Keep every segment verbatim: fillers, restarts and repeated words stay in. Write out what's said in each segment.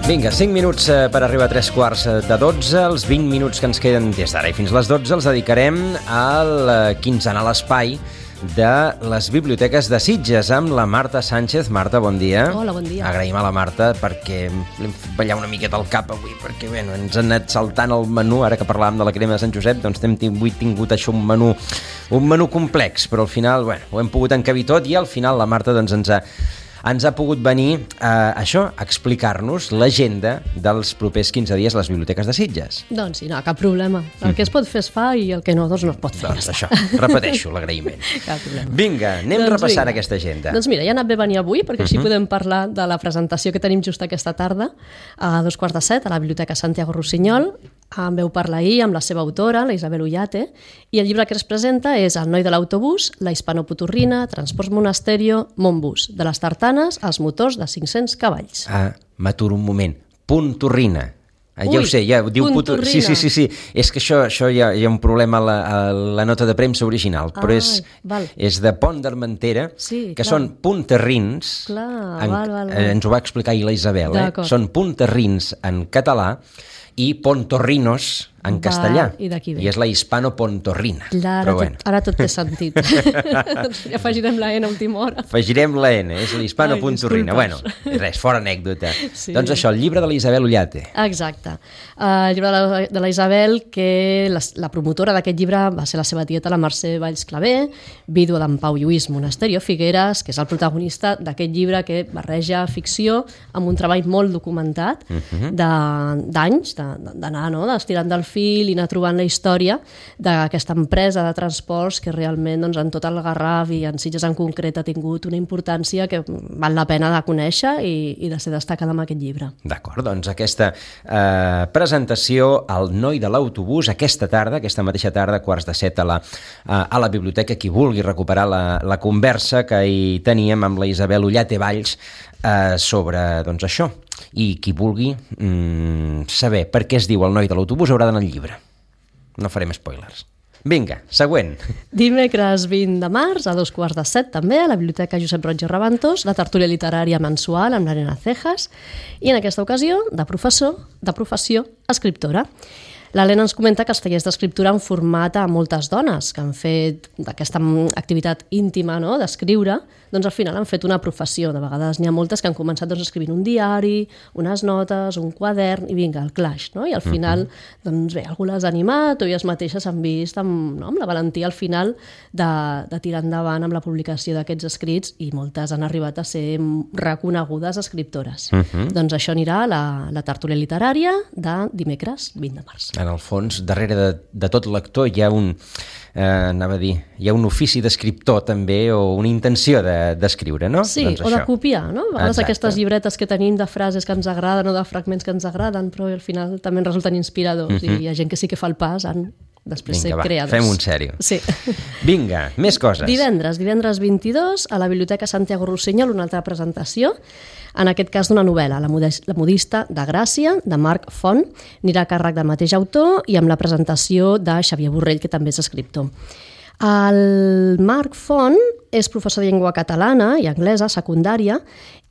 Vinga, cinc minuts per arribar a tres quarts de dotze. Els vint minuts que ens queden des d'ara i fins a les dotze els dedicarem al quinzenal espai de les biblioteques de Sitges amb la Marta Sánchez. Marta, bon dia. Hola, bon dia. Agraïm a la Marta perquè l'hem fet ballar una miqueta al cap avui, perquè bueno, ens han anat saltant el menú. Ara que parlàvem de la crema de Sant Josep, doncs hem tingut, tingut això un menú, un menú complex, però al final bueno, ho hem pogut encabir tot i al final la Marta doncs, ens ha ens ha pogut venir eh, això, a explicar-nos l'agenda dels propers quinze dies a les biblioteques de Sitges. Doncs sí, no, cap problema. El que es pot fer es fa i el que no, doncs no es pot fer. Doncs això, repeteixo l'agraïment. Cap problema. Vinga, anem doncs repassant vinga. aquesta agenda. Doncs mira, ja ha anat bé venir avui, perquè així uh -huh. podem parlar de la presentació que tenim just aquesta tarda, a dos quarts de set, a la Biblioteca Santiago Rossinyol. En veu parlar ahir amb la seva autora, la Isabel Ullate, i el llibre que es presenta és El noi de l'autobús, la hispanopotorrina, Transports Monasterio, Montbus, de les tartanes als motors de cinc-cents cavalls. Ah, m'aturo un moment. Puntorrina. Ah, ja Ui, ho sé, ja diu puntorrina. Sí, sí, sí, sí. És que això, això hi, ha, hi ha un problema a la, a la nota de premsa original, però Ah, és, val. és de Pont d'Armentera, Sí, que clar. són punterrins. Clar, en, val, val, val. eh, ens ho va explicar ahir la Isabel, eh? D'acord. Són punterrins en català i pontorrinos en Va, castellà. i d'aquí ve. I és la hispano-pontorrina. Clar, ara, Però tot, bueno. ara tot té sentit. Doncs ja afegirem la N a última hora. Afegirem la N, és l'hispano-pontorrina. Ai, Bueno, disculpes. res, fora anècdota. Sí. Doncs això, el llibre de la Isabel Ullate. Exacte. Uh, el llibre de la, de la Isabel, que la, la promotora d'aquest llibre va ser la seva tieta, la Mercè Valls Clavé, vídua d'en Pau Lluís Monasterio Figueres, que és el protagonista d'aquest llibre que barreja ficció amb un treball molt documentat Uh-huh. de- d'anys, de- d'anar no? estirant del fil i anar trobant la història d'aquesta empresa de transports que realment doncs, en tot el Garraf i en Sitges en concret ha tingut una importància que val la pena de conèixer i, i de ser destacada amb aquest llibre. D'acord, doncs aquesta eh, presentació al noi de l'autobús aquesta tarda, aquesta mateixa tarda, quarts de set a la, a, a la biblioteca. Qui vulgui recuperar la, la conversa que hi teníem amb la Isabel Ullate Valls eh, sobre doncs, això. I qui vulgui mm, saber per què es diu el noi de l'autobús haurà d'anar al llibre. No farem spoilers. Vinga, següent. Dimecres vint de març, a dos quarts de set també, a la Biblioteca Josep Roig i Rabantos, la tertúlia literària mensual amb l'Arena Cejas, i en aquesta ocasió, de professor, de professió, escriptora. L'Helena ens comenta que els tallers d'escriptura han format a moltes dones que han fet d'aquesta activitat íntima no? d'escriure, doncs al final han fet una professió. De vegades n'hi ha moltes que han començat doncs, escrivint un diari, unes notes, un quadern, i vinga, el clash. No? I al final, doncs bé, algú les ha animat o elles mateixes s'han vist amb, no? amb la valentia al final de, de tirar endavant amb la publicació d'aquests escrits i moltes han arribat a ser reconegudes escriptores. Uh -huh. Doncs això anirà a la, la tertúlia literària de dimecres vint de març. En el fons, darrere de, de tot lector hi ha un, eh, anava a dir, hi ha un ofici d'escriptor també, o una intenció de, d'escriure, no? Sí, doncs o de això. copiar, no? A vegades Exacte. aquestes llibretes que tenim de frases que ens agraden o de fragments que ens agraden, però al final també ens resulten inspiradors, uh-huh. i hi ha gent que sí que fa el pas en després Vinga, ser va, creadors. fem un sèrio. Sí. Vinga, més coses. Divendres, divendres vint-i-dos, a la Biblioteca Santiago Rossinyol, una altra presentació, en aquest cas d'una novel·la, La La modista de Gràcia, de Marc Font, anirà a càrrec del mateix autor i amb la presentació de Xavier Borrell, que també és escriptor. El Marc Font és professor de llengua catalana i anglesa, secundària,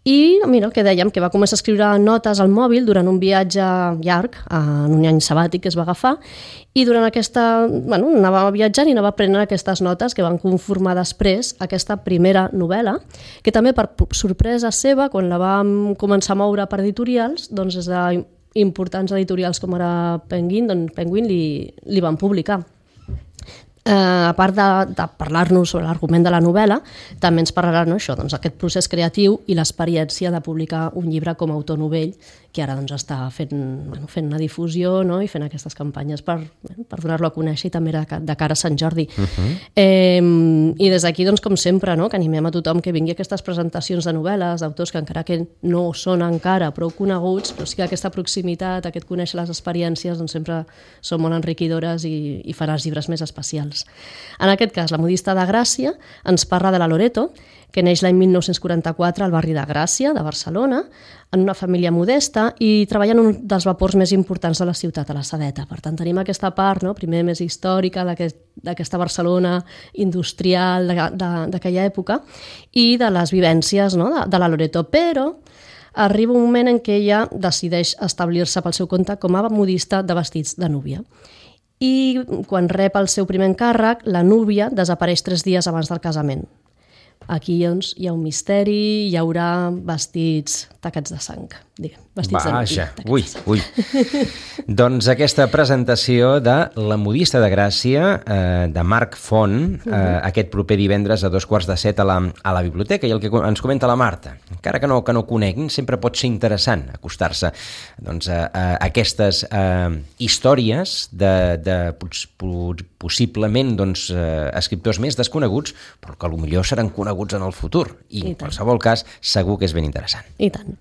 i mira, el que dèiem, que va començar a escriure notes al mòbil durant un viatge llarg, en un any sabàtic que es va agafar, i durant aquesta... Bueno, anava viatjant i anava aprenent aquestes notes que van conformar després aquesta primera novel·la, que també per sorpresa seva, quan la vam començar a moure per editorials, doncs des d'importants editorials com ara Penguin, doncs Penguin li, li van publicar. Eh, a part de, de parlar-nos sobre l'argument de la novel·la, també ens parlarà no, això, doncs, aquest procés creatiu i l'experiència de publicar un llibre com a autor novell, que ara doncs, està fent, bueno, fent una difusió no, i fent aquestes campanyes per, bueno, per donar-lo a conèixer, i també de, de cara a Sant Jordi. Uh-huh. eh, I des d'aquí, doncs, com sempre, no, que animem a tothom que vingui a aquestes presentacions de novel·les, d'autors que encara que no són encara prou coneguts, però sí que aquesta proximitat, aquest conèixer les experiències, doncs, sempre són molt enriquidores i, i farà els llibres més especials. En aquest cas, La modista de Gràcia ens parla de la Loreto, que neix l'any mil nou-cents quaranta-quatre al barri de Gràcia, de Barcelona, en una família modesta i treballa en un dels vapors més importants de la ciutat, a la Sedeta. Per tant, tenim aquesta part, no? primer més històrica d'aquest, d'aquesta Barcelona industrial d'aquella època i de les vivències no? de, de la Loreto. Però arriba un moment en què ella decideix establir-se pel seu compte com a modista de vestits de núvia. I quan rep el seu primer encàrrec, la núvia desapareix tres dies abans del casament. Aquí doncs, hi ha un misteri, hi haurà vestits tacats de sang, diguem. Vestits Vaja, de ui, ui. Doncs aquesta presentació de La modista de Gràcia, eh, de Marc Font, eh, uh-huh. aquest proper divendres a dos quarts de set a la, a la biblioteca, i el que ens comenta la Marta, encara que no, que no coneguin, sempre pot ser interessant acostar-se doncs, a, a aquestes eh, històries de, de possiblement doncs, eh, escriptors més desconeguts, però que potser seran coneguts en el futur, i, I en qualsevol cas segur que és ben interessant. I tant.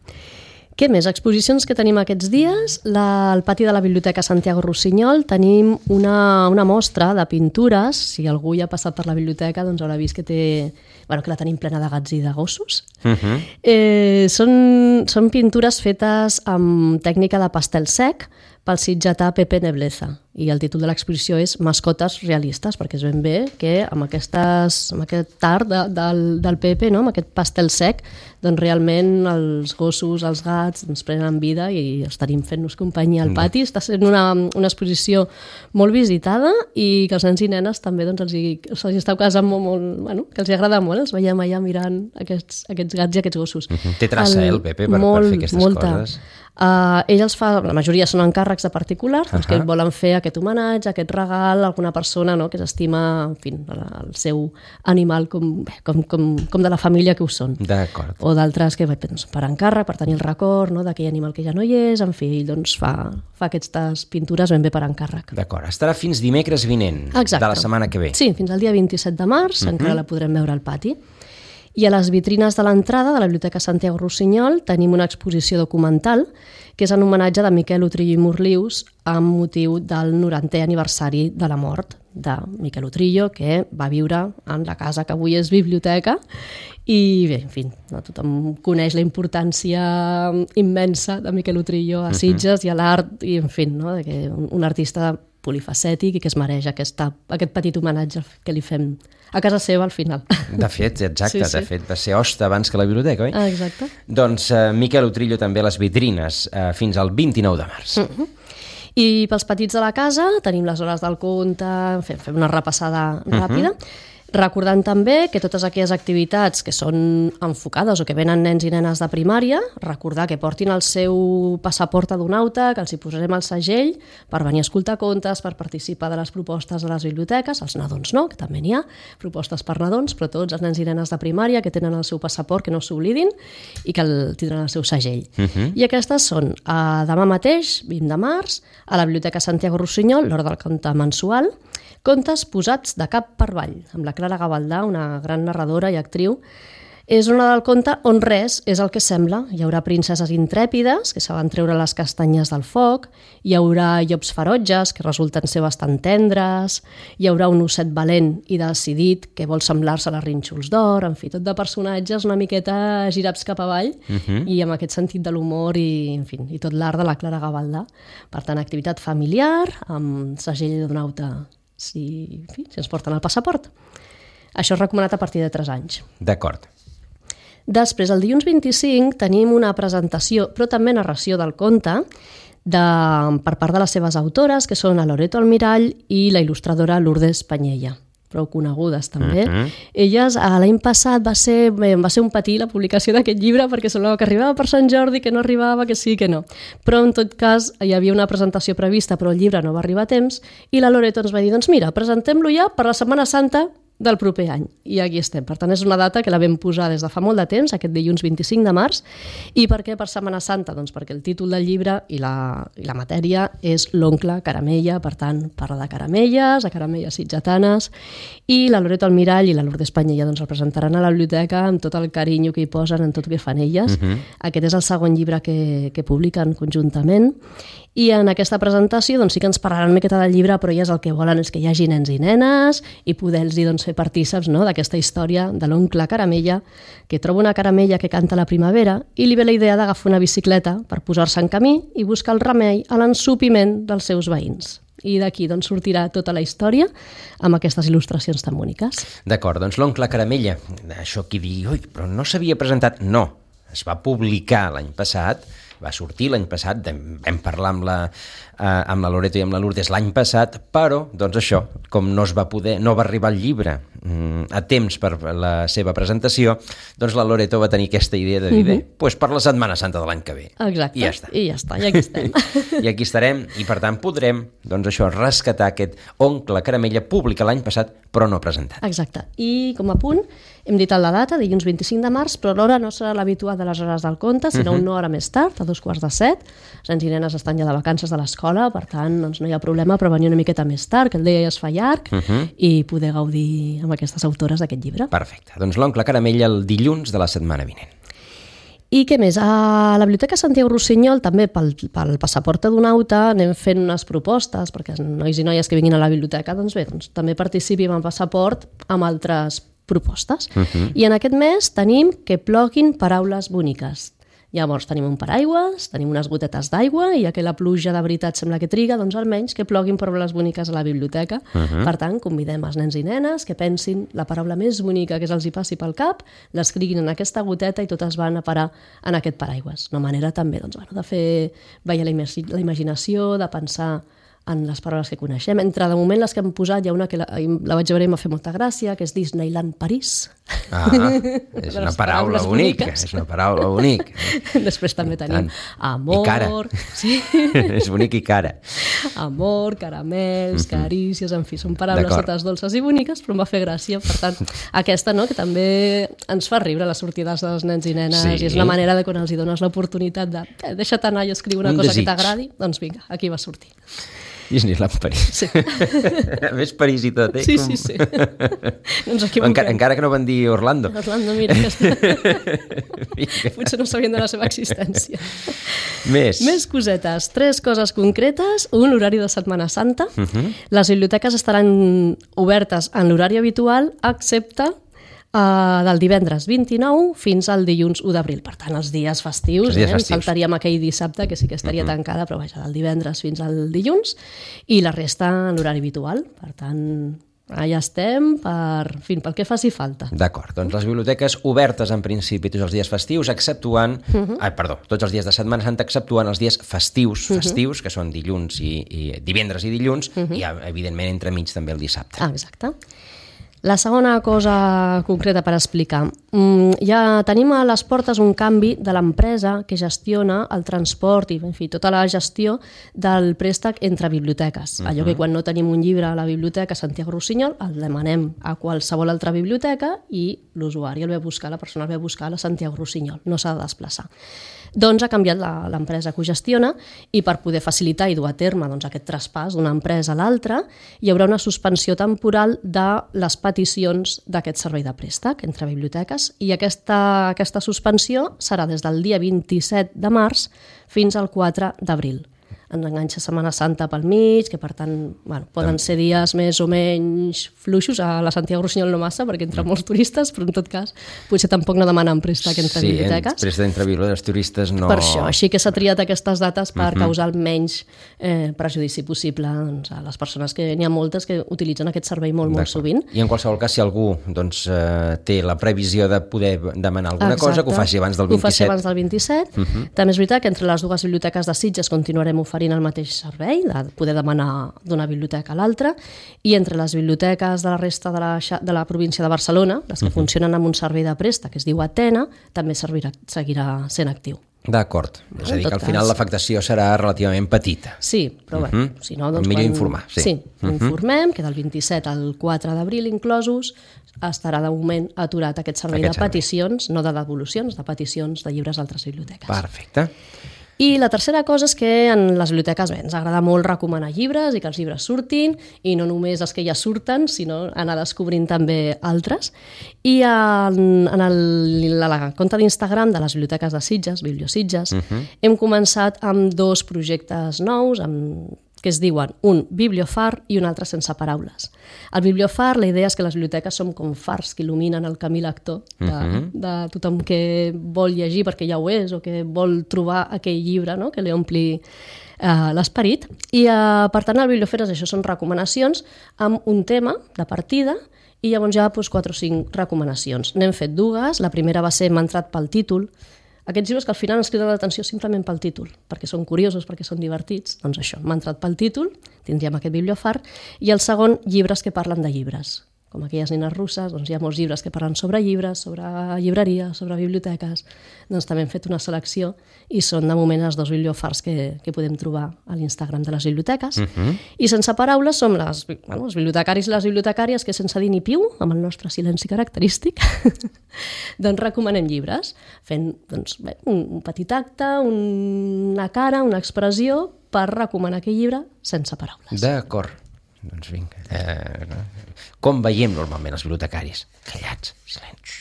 Què més? Exposicions que tenim aquests dies. La, al pati de la Biblioteca Santiago Rossinyol tenim una, una mostra de pintures. Si algú ja ha passat per la biblioteca, doncs haurà vist que té... Bueno, que la tenim plena de gats i de gossos. Uh-huh. eh, són, són pintures fetes amb tècnica de pastel sec pel sitgetà Pepe Nebleza. I el títol de l'exposició és Mascotes realistes, perquè és ben bé que amb, aquestes, amb aquest art de, del, del Pepe, no? Amb aquest pastel sec, doncs realment els gossos, els gats, ens prenen vida i estarim fent-nos companyia al pati. Està sent una, una exposició molt visitada i que els nens i nenes també doncs, els, hi, els hi està casant molt, molt, bueno, que els hi agrada molt. Els veiem allà mirant aquests, aquests gats i aquests gossos. Uh-huh. Té traça, el, eh, el Pepe, per, molt, per fer aquestes molta. coses. Uh, ell els fa, la majoria són encàrrecs de particulars, doncs, uh-huh. que volen fer aquest homenatge, aquest regal a alguna persona, no?, que s'estima, en fi, el seu animal com, com, com, com de la família que ho són. D'acord. O d'altres que doncs, per encàrrec, per tenir el record, no?, d'aquell animal que ja no hi és, en fi, ell doncs, fa, fa aquestes pintures ben bé per encàrrec. D'acord. Estarà fins dimecres vinent. Exacte. De la setmana que ve. Sí, fins al dia vint-i-set de març, uh-huh. encara la podrem veure al pati. I a les vitrines de l'entrada de la Biblioteca Santiago Rossinyol tenim una exposició documental que és en homenatge de Miquel Utrillo i Morlius amb motiu del norantè aniversari de la mort de Miquel Utrillo, que va viure en la casa que avui és biblioteca. I bé, en fi, no, tothom coneix la importància immensa de Miquel Utrillo a Sitges uh-huh. i a l'art, i en fi, no, que un, un artista polifacètic i que es mereix aquesta, aquest petit homenatge que li fem a casa seva al final. De fet, exacte, sí, sí. de fet va ser hoste abans que la biblioteca, oi? Ah, exacte. Doncs uh, Miquel Utrillo també a les vitrines uh, fins al vint-i-nou de març. Uh-huh. I pels petits de la casa tenim les hores del conte, fem, fem una repassada ràpida. Uh-huh. Recordant també que totes aquelles activitats que són enfocades o que venen nens i nenes de primària, recordar que portin el seu passaport adonauta, que els hi posarem el segell per venir a escoltar contes, per participar de les propostes de les biblioteques, els nadons no, que també n'hi ha, propostes per nadons, però tots els nens i nenes de primària que tenen el seu passaport, que no s'oblidin, i que el, tindran el seu segell. Uh-huh. I aquestes són uh, demà mateix, vint de març, a la Biblioteca Santiago Rossinyol, l'hora del conte mensual, Contes posats de cap per avall, amb la Clara Gavaldà, una gran narradora i actriu. És una del conte on res és el que sembla. Hi haurà princeses intrèpides, que saben treure les castanyes del foc, hi haurà llops ferotges, que resulten ser bastant tendres, hi haurà un osset valent i decidit, que vol semblar-se a les rínxols d'or, en fi, tot de personatges una miqueta girats cap avall, uh-huh. i amb aquest sentit de l'humor i, en fi, i tot l'art de la Clara Gavaldà. Per tant, activitat familiar, amb segell d'onauta, si, en fi, si ens porten el passaport. Això és recomanat a partir de tres anys. D'acord. Després, el dilluns vint-i-cinc, tenim una presentació, però també narració del conte, de, per part de les seves autores, que són la Loreto Almirall i la il·lustradora Lourdes Panyella, prou conegudes també. Uh-huh. Elles, l'any passat va ser, bé, va ser un patí la publicació d'aquest llibre perquè semblava que arribava per Sant Jordi, que no arribava, que sí, que no. Però en tot cas hi havia una presentació prevista però el llibre no va arribar a temps i la Loreto ens va dir, doncs mira, presentem-lo ja per la Setmana Santa del proper any. I aquí estem. Per tant, és una data que la vam posar des de fa molt de temps, aquest dilluns vint-i-cinc de març. I per què per Setmana Santa? Doncs perquè el títol del llibre i la, i la matèria és l'oncle Caramella, per tant, parla de caramelles, de caramelles sitgetanes, i la Loreto Almirall i la Lourdes Panyella doncs, el presentaran a la biblioteca amb tot el carinyo que hi posen en tot el que fan elles. Uh-huh. Aquest és el segon llibre que, que publiquen conjuntament. I en aquesta presentació doncs, sí que ens parlaran una miqueta del llibre, però elles el que volen és que hi hagi nens i nenes i poder-los doncs, fer partíceps, no?, d'aquesta història de l'oncle Caramella, que troba una caramella que canta la primavera i li ve la idea d'agafar una bicicleta per posar-se en camí i buscar el remei a l'ensopiment dels seus veïns. I d'aquí doncs, sortirà tota la història amb aquestes il·lustracions tan boniques. D'acord, doncs l'oncle Caramella, això qui digui, oi, però no s'havia presentat, no. es va publicar l'any passat, va sortir l'any passat, vam parlar amb la, eh, amb la Loreto i amb la Lourdes l'any passat, però, doncs això, com no es va poder, no va arribar el llibre mm, a temps per la seva presentació, doncs la Loreto va tenir aquesta idea de dir, bé, uh-huh. pues per la Setmana Santa de l'any que ve. Exacte, I ja està. I ja està, i aquí estem. I aquí estarem, i per tant podrem, doncs això, rescatar aquest Oncle Caramella publicat l'any passat, però no presentat. Exacte. I com a punt, hem dit la data, dilluns vint-i-cinc de març, però l'hora no serà l'habitual de les hores del conte, sinó uh-huh. una hora més tard, a dos quarts de set. Els nens i nenes estan ja de vacances de l'escola, per tant, doncs no hi ha problema per venir una miqueta més tard, que el dia ja es fa llarg, uh-huh. i poder gaudir amb aquestes autores d'aquest llibre. Perfecte. Doncs l'Oncle Caramella el dilluns de la setmana vinent. I què més? A la Biblioteca Santiago Rossinyol, també pel, pel passaport adonauta, anem fent unes propostes, perquè els nois i noies que vinguin a la biblioteca, doncs bé, doncs, també participin en passaport amb altres propostes. Uh-huh. I en aquest mes tenim que ploguin paraules boniques. Llavors tenim un paraigües, tenim unes gotetes d'aigua, i ja que la pluja de veritat sembla que triga, doncs almenys que ploguin paraules boniques a la biblioteca. Uh-huh. Per tant, convidem els nens i nenes que pensin la paraula més bonica que se'ls hi passi pel cap, l'escriguin en aquesta goteta i totes van a parar en aquest paraigües. Una manera també doncs, bueno, de fer veure la, imag- la imaginació, de pensar en les paraules que coneixem. Entre, de moment, les que hem posat, hi ha una que la, la vaig veure i m'ha fet molta gràcia, que és Disneyland París. Ah, és una paraula bonica, és una paraula bonica. Després també tenim amor... I cara. Sí. És bonic i cara. Amor, caramels, mm-hmm. carícies, en fi, són paraules D'acord. totes dolces i boniques, però em va fer gràcia. Per tant, aquesta, no?, que també ens fa riure les sortides dels nens i nenes, sí. I és una manera de quan els hi dones l'oportunitat de eh, deixa't anar i escriure una un cosa desig. que t'agradi, doncs vinga, aquí va sortir. Disneyland París. Sí. A més París i tot, eh? Sí, sí, sí. No ens equivoquem. Encara, encara que no van dir Orlando. Orlando, mira, aquesta... potser no sabien de la seva existència. Més. Més cosetes. Tres coses concretes. Un, horari de Setmana Santa. Uh-huh. Les biblioteques estaran obertes en l'horari habitual, excepte Uh, del divendres vint-i-nou fins al dilluns u d'abril. Per tant, els dies festius, els dies eh? festius. Saltaríem aquell dissabte, que sí que estaria uh-huh. tancada, però vaja, del divendres fins al dilluns, i la resta en l'horari habitual. Per tant, allà estem per, en fi, pel que faci falta. D'acord, doncs les biblioteques obertes en principi tots els dies festius, exceptuant, uh-huh. ah, perdó, tots els dies de Setmana Santa, exceptuant els dies festius, uh-huh. festius, que són dilluns i, i divendres i dilluns, uh-huh. i evidentment entremig també el dissabte. Ah, exacte. La segona cosa concreta per explicar. Ja tenim a les portes un canvi de l'empresa que gestiona el transport i, en fi, tota la gestió del préstec entre biblioteques. Uh-huh. Allò que quan no tenim un llibre a la biblioteca Santiago Rossinyol el demanem a qualsevol altra biblioteca i l'usuari el ve a buscar, la persona el ve a buscar a la Santiago Rossinyol, no s'ha de desplaçar. Doncs ha canviat la, l'empresa que ho gestiona i per poder facilitar i dur a terme doncs, aquest traspàs d'una empresa a l'altra hi haurà una suspensió temporal de les peticions d'aquest servei de préstec entre biblioteques i aquesta, aquesta suspensió serà des del dia vint-i-set de març fins al quatre d'abril. Ens enganxa Setmana Santa pel mig, que per tant bueno, poden ser dies més o menys fluixos, a la Santiago Rossinyol no massa, perquè entra molts turistes, però en tot cas potser tampoc no demanen préstec entre sí, biblioteques. Sí, préstec entre biblioteques, turistes no... Per això, així que s'ha triat aquestes dates per uh-huh. causar el menys eh, prejudici possible doncs, a les persones que n'hi ha moltes que utilitzen aquest servei molt, molt sovint. I en qualsevol cas, si algú doncs, eh, té la previsió de poder demanar alguna Exacte. cosa, que ho faci abans del vint-i-set. Ho faci abans del vint-i-set. Uh-huh. També és veritat que entre les dues biblioteques de Sitges continuarem oferint el mateix servei, de poder demanar d'una biblioteca a l'altra, i entre les biblioteques de la resta de la, de la província de Barcelona, les que uh-huh. funcionen amb un servei de préstec que es diu Atena, també servirà, seguirà sent actiu. D'acord, és a dir que al final cas... l'afectació serà relativament petita. Sí, però bé, uh-huh. si no... Doncs millor quan... informar, sí. Sí, uh-huh. informem que del vint-i-set al quatre d'abril inclosos estarà de moment aturat aquest servei aquest de peticions, servei. no de devolucions, de peticions de llibres a altres biblioteques. Perfecte. I la tercera cosa és que en les biblioteques bé, ens agrada molt recomanar llibres i que els llibres surtin, i no només els que ja surten, sinó anar descobrint també altres. I en, en el, la, la compte d'Instagram de les biblioteques de Sitges, Bibliositges, uh-huh. hem començat amb dos projectes nous, amb que es diuen un bibliofar i un altre sense paraules. El bibliofar, la idea és que les biblioteques som com fars que il·luminen el camí lector de, uh-huh. de tothom que vol llegir perquè ja ho és o que vol trobar aquell llibre, no?, que li ompli eh, l'esperit. I eh, per tant el bibliofar és això, són recomanacions amb un tema de partida i llavors ja doncs, quatre o cinc recomanacions. N'hem fet dues. La primera va ser M'ha entrat pel títol. Aquests llibres que al final ens criden l'atenció simplement pel títol, perquè són curiosos, perquè són divertits, doncs això, m'ha entrat pel títol, tindríem aquest bibliofar, i el segon, llibres que parlen de llibres. Com aquelles nines russes, doncs hi ha molts llibres que parlen sobre llibres, sobre llibreria, sobre biblioteques. Doncs també hem fet una selecció i són de moment els dos bibliofars que, que podem trobar a l'Instagram de les biblioteques. Uh-huh. I sense paraules som les, bueno, els bibliotecaris i les bibliotecàries que sense dir ni piu, amb el nostre silenci característic, doncs recomanem llibres, fent doncs, bé, un, un petit acte, un, una cara, una expressió per recomanar aquell llibre sense paraules. D'acord. Doncs vinga. Eh, com veiem normalment els bibliotecaris? Callats, silenci.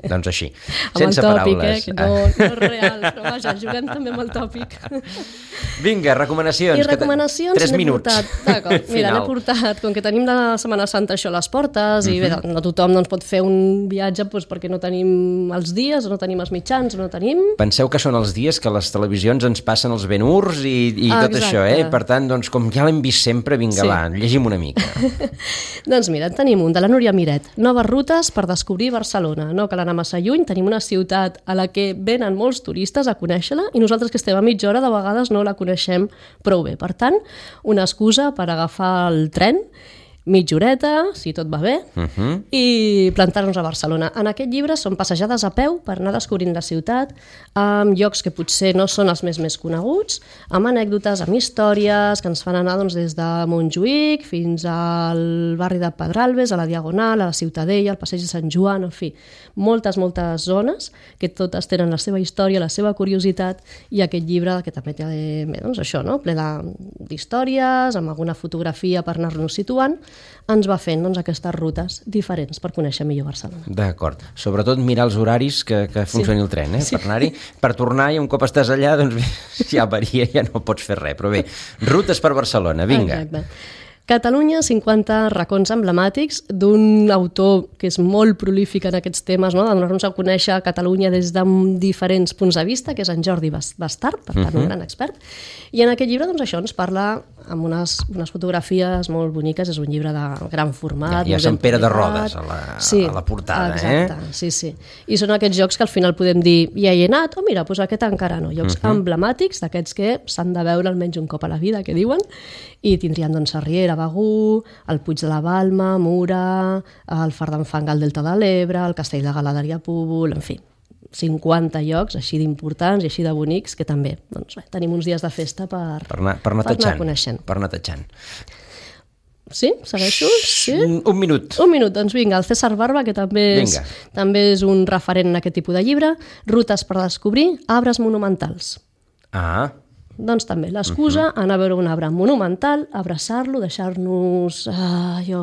Doncs així, sense tòpic, paraules. Eh, que no, no és real, però vaja, juguem també amb el tòpic. Vinga, recomanacions. I recomanacions Tres n'he minuts. portat, d'acord, mira, n'he portat, com que tenim la Setmana Santa això a les portes, uh-huh. i bé, no tothom doncs, pot fer un viatge doncs, perquè no tenim els dies, o no tenim els mitjans, o no tenim... Penseu que són els dies que les televisions ens passen els Ben-Hurs i, i tot Exacte. això, eh? Per tant, doncs, com ja l'hem vist sempre, vinga, sí. va, llegim una mica. Doncs mira, en tenim un de la Núria Miret, Noves rutes per descobrir Barcelona. No cal anar massa lluny, tenim una ciutat a la que venen molts turistes a conèixer-la i nosaltres que estem a mitja hora de vegades no la coneixem prou bé. Per tant, una excusa per agafar el tren, mitja horeta, si tot va bé, uh-huh. i plantar-nos a Barcelona. En aquest llibre són passejades a peu per anar descobrint la ciutat, amb llocs que potser no són els més més coneguts, amb anècdotes, amb històries, que ens fan anar doncs, des de Montjuïc fins al barri de Pedralbes, a la Diagonal, a la Ciutadella, al passeig de Sant Joan, en fi, moltes, moltes zones que totes tenen la seva història, la seva curiositat, i aquest llibre que també té bé, doncs això, no? Ple d'històries, amb alguna fotografia per anar-nos situant, ens va fent doncs, aquestes rutes diferents per conèixer millor Barcelona. D'acord. Sobretot mirar els horaris que, que funcioni sí. el tren, eh? Sí. Per anar-hi, per tornar, i un cop estàs allà, doncs ja varia, ja no pots fer res. Però bé, rutes per Barcelona, vinga. Exacte. Catalunya, cinquanta racons emblemàtics d'un autor que és molt prolífic en aquests temes, no? De donar-nos a conèixer Catalunya des de diferents punts de vista, que és en Jordi Bastart, per tant, uh-huh. un gran expert. I en aquest llibre, doncs, això ens parla amb unes, unes fotografies molt boniques, és un llibre de gran format. Ja, ja Sant Pere de Rodes a la, sí, a la portada, exacte, eh? Sí, sí. I són aquests jocs que al final podem dir, ja hi he anat, o oh, mira, doncs aquest encara no. Jocs uh-huh. emblemàtics, d'aquests que s'han de veure almenys un cop a la vida, que diuen, i tindrien, doncs, Sarriera, Begur, el Puig de la Balma, Mura, el Far d'en Fang al Delta de l'Ebre, el Castell de Galaderia Púbol, en fi, cinquanta llocs així d'importants i així de bonics que també doncs, bé, tenim uns dies de festa per, per anar, per anar, per anar coneixent. Per anar tatxant. Sí? Segueixo? Sí? Un, un minut. Un minut, doncs vinga, el César Barba, que també és, també és un referent en aquest tipus de llibre, Rutes per descobrir arbres monumentals. Ah, doncs també l'excusa, uh-huh. anar a veure un arbre monumental, abraçar-lo, deixar-nos uh, jo,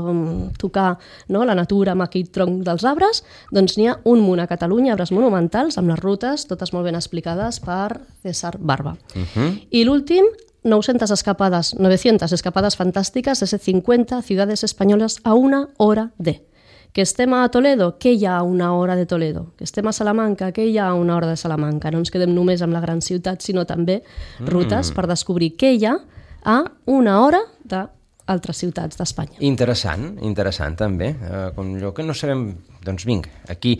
tocar no, la natura amb aquell tronc dels arbres, doncs n'hi ha un munt a Catalunya, arbres monumentals, amb les rutes, totes molt ben explicades per César Barba. Uh-huh. I l'últim, novecientas escapadas, novecientas escapadas fantásticas de cincuenta ciudades españolas a una hora de... Que estem a Toledo, què hi ha a una hora de Toledo? Que estem a Salamanca, què hi ha a una hora de Salamanca? No ens quedem només amb la gran ciutat, sinó també rutes mm. per descobrir què hi ha a una hora d'altres ciutats d'Espanya. Interessant, interessant també. Uh, com allò que no sabem... Doncs vinga, aquí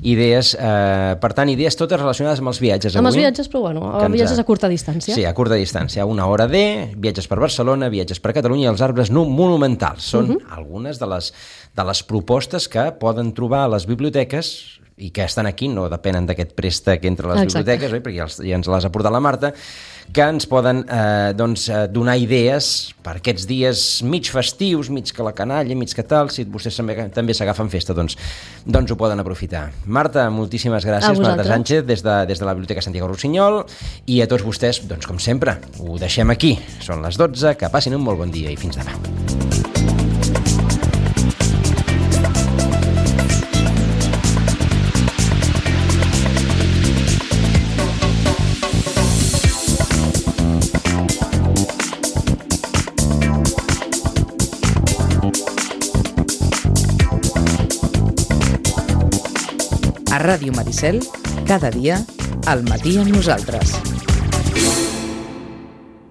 idees, eh, per tant, idees totes relacionades amb els viatges. Amb els viatges, però bueno, amb viatges a curta distància. Sí, a curta distància, una hora de, viatges per Barcelona, viatges per Catalunya i els arbres no monumentals. Són uh-huh. algunes de les, de les propostes que poden trobar a les biblioteques i que estan aquí, no depenen d'aquest préstec entre les Exacte. biblioteques, oi? Perquè ja, els, ja ens les ha portat la Marta, que ens poden eh, doncs, donar idees per aquests dies mig festius, mig que la canalla, mig que tal, si vostès també, també s'agafen festa, doncs, doncs ho poden aprofitar. Marta, moltíssimes gràcies, Marta Sánchez, des de, des de la Biblioteca Santiago Rossinyol, i a tots vostès, doncs com sempre, ho deixem aquí. Són les dotze, que passin un molt bon dia i fins demà. A Ràdio Maricel, cada dia, al matí amb nosaltres.